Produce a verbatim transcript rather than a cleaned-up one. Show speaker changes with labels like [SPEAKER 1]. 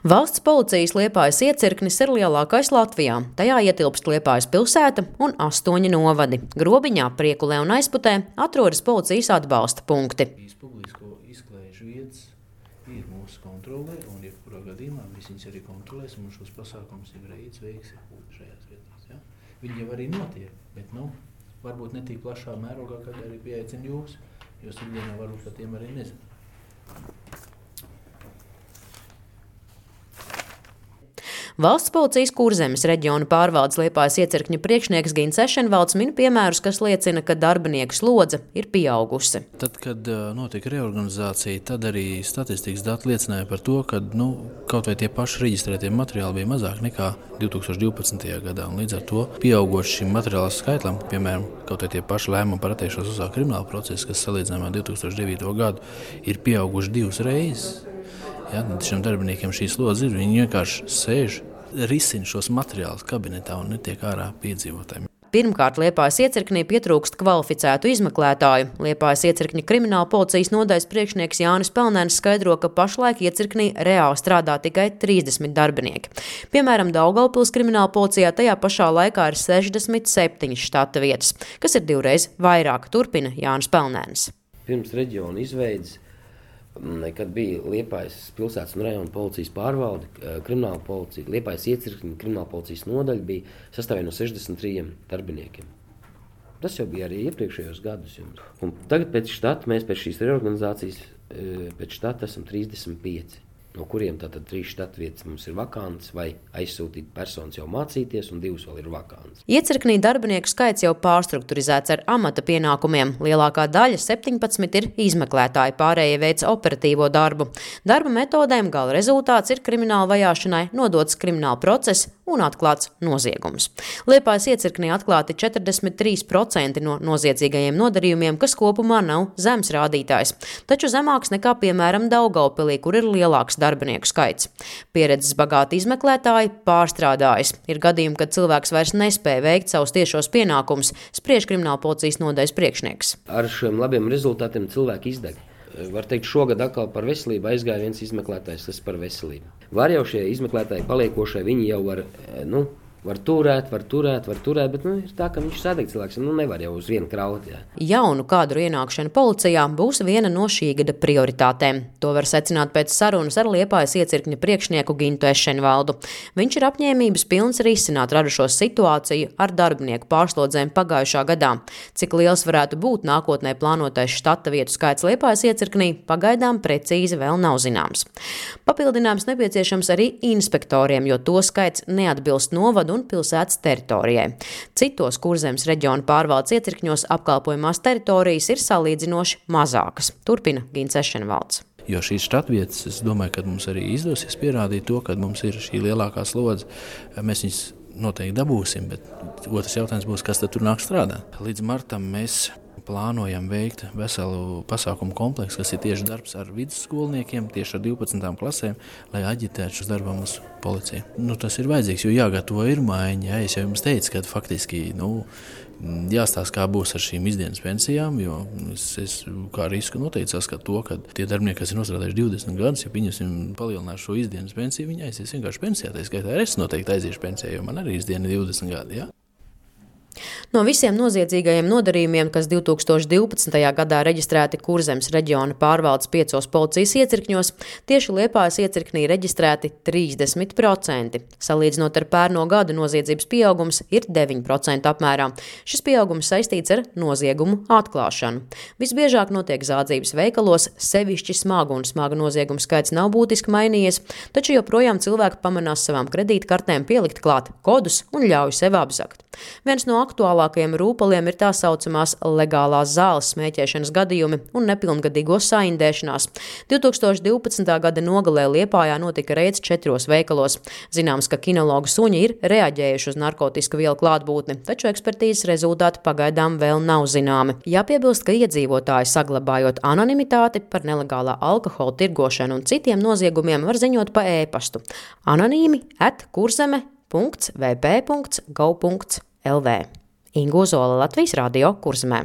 [SPEAKER 1] Valsts policijas Liepājas iecirknis ir lielākais Latvijā. Tajā ietilpst Liepājas pilsēta un astoņi novadi. Grobiņā, Priekulē un Aizputē atrodas policijas atbalsta punkti.
[SPEAKER 2] Publisko izklaižu vietas ir mūsu kontrolē, un jebkurā gadījumā mēs viņus arī kontrolēsim, un šos pasākumus ir reiz veiksi šajās vietās. Ja? Viņi jau arī notiek, bet nu, varbūt ne tik plašā mērogā, kad arī pieaicina jūs, jo ikdienā varbūt par tiem arī nezinu.
[SPEAKER 1] Valsts policijas Kurzemes reģiona pārvaldes Liepājas iecirkņa priekšnieks Gins Ešenvalds min piemērus, kas liecina, ka darbinieku slodze ir pieaugusi.
[SPEAKER 2] Tad, kad notika reorganizācija, tad arī statistikas dati liecināja par to, ka nu, kaut vai tie paši reģistrētie materiāli bija mazāk nekā divi tūkstoši divpadsmitajā gadā. Un līdz ar to pieaugot šim materiāla skaitam, piemēram, kaut vai tie paši lēmumi par attiekšanos uzsākt kriminālu procesu, kas salīdzinājumā divi tūkstoši devīto gadu ir pieauguši divas reizes. Ja, šiem darbiniekiem šī slodze ir, viņi vienkārši sēž, risina šos materiālus kabinetā un netiek ārā piedzīvotājiem.
[SPEAKER 1] Pirmkārt, Liepājas iecirknī pietrūkst kvalificētu izmeklētāju. Liepājas iecirkņa krimināla policijas nodaļas priekšnieks Jānis Pelnēns skaidro, ka pašlaik iecirknī reāli strādā tikai trīsdesmit darbinieki. Piemēram, Daugavpils krimināla policijā tajā pašā laikā ir sešdesmit septiņas štata vietas, kas ir divreiz vairāk, turpina Jānis Pelnēns.
[SPEAKER 3] Pirms reģiona izveides, kad bija Liepājas pilsētas un rajona policijas pārvalde, krimināla policija, Liepājas iecirkņa krimināla policijas nodaļa bija sastāvē no sešdesmit trījiem darbiniekiem. Tas jau bija arī iepriekšējos gadus. Un tagad pēc štata, mēs pēc šīs reorganizācijas, pēc štata esam trīsdesmit pieci, no kuriem tātad trīs štata vietas mums ir vakants vai aizsūtīt personas jau mācīties, un divas vēl ir vakants.
[SPEAKER 1] Iecirknī darbinieku skaits jau pārstrukturizēts ar amata pienākumiem. Lielākā daļa, septiņpadsmit, ir izmeklētāji, pārējie veic operatīvo darbu. Darba metodēm gala rezultāts ir krimināla vajāšanai nodots krimināla process un atklāts noziegums. Liepājas iecirknī atklāti četrdesmit trīs procenti no noziedzīgajiem nodarījumiem, kas kopumā nav zems rādītājs, taču zemāks nekā, piemēram, Daugavpilī, kur ir lielāks darbinieku skaits. Pieredzes bagāti izmeklētāji pārstrādājas. Ir gadījumi, kad cilvēks vairs nespēja veikt savus tiešos pienākumus, spriež krimināla policijas nodaļas priekšnieks.
[SPEAKER 3] Ar šiem labiem rezultātiem cilvēki izdeg. Var teikt, šogad atkal par veselību aizgāja viens izmeklētājs, tas par veselību. Var jau šie izmeklētāji paliekošie, viņi jau var, nu, var turēt, var turēt, var turēt, bet nu, ir tā, ka viņš sadeg cilvēks, nu nevar jau uz vienu kraut. Jā.
[SPEAKER 1] Jaunu kadru ienākšana policijā būs viena no šī gada prioritātēm. To var secināt pēc sarunas ar Liepājas iecirkņa priekšnieku Gintu Ešenvaldu. Viņš ir apņēmības pilns risināt radušo situāciju ar darbinieku pārslodzēm pagājušā gadā. Cik liels varētu būt nākotnē plānotais štata vietu skaits Liepājas iecirknī, pagaidām precīzi vēl nav zināms. Papildinājums nepieciešams arī inspektoriem, jo to skaits neatbilst novadu un pilsētas teritorijai. Citos Kurzemes reģiona pārvaldes iecirkņos apkalpojumās teritorijas ir salīdzinoši mazākas, turpina Gins Ešenvalds.
[SPEAKER 2] Jo šīs štatvietas, es domāju, ka mums arī izdosies pierādīt to, ka mums ir šī lielākā slodze. Mēs viņus noteikti dabūsim, bet otrs jautājums būs, kas tad tur nāk strādāt. Līdz martam mēs plānojam veikt veselu pasākumu kompleksu, kas ir tieši darbs ar vidusskolniekiem, tieši ar divpadsmitām klasēm, lai aģitētu šos darbam uz policiju. Nu, tas ir vajadzīgs, jo jāgatavo ir maiņa. Jā, es jau jums teicu, ka faktiski nu, jāstāsta, kā būs ar šīm izdienas pensijām, jo es, es kā risku noteikti saskatu to, ka tie darbinieki, kas ir nostrādājuši divdesmit gadus, ja viņus palielinās šo izdienas pensiju, viņi aizies vienkārši pensijā. Tā skaitā es noteikti aiziešu pensijā, jo man arī izdiena divdesmit gadi. Jā.
[SPEAKER 1] No visiem noziedzīgajiem nodarījumiem, kas divi tūkstoši divpadsmitajā gadā reģistrēti Kurzemes reģiona pārvaldes piecos policijas iecirkņos, tieši Liepājas iecirknī reģistrēti trīsdesmit procenti. Salīdzinot ar pērno gadu, noziedzības pieaugums ir deviņi procenti apmērā. Šis pieaugums saistīts ar noziegumu atklāšanu. Visbiežāk notiek zādzības veikalos, sevišķi smagu un smaga noziegumu skaits nav būtiski mainījies, taču joprojām cilvēki pamanās savām kredītkartēm pielikt klāt kodus un ļauj sev apzakt. Viens no aktuālākajiem rūpaliem ir tā saucamās legālās zāles smēķēšanas gadījumi un nepilngadīgo saindēšanās. divi tūkstoši divpadsmitā gada nogalē Liepājā notika reids četros veikalos. Zināms, ka kinologu suņi ir reaģējuši uz narkotisku vielu klātbūtni, taču ekspertīzes rezultāti pagaidām vēl nav zināmi. Jāpiebilst, ka iedzīvotāji, saglabājot anonimitāti par nelegālā alkohola tirgošanu un citiem noziegumiem, var ziņot pa ēpastu anonīmi at kurzeme punkts v p punkts gov punkts l v. Inga Ozola, Latvijas radio, Kurzemē.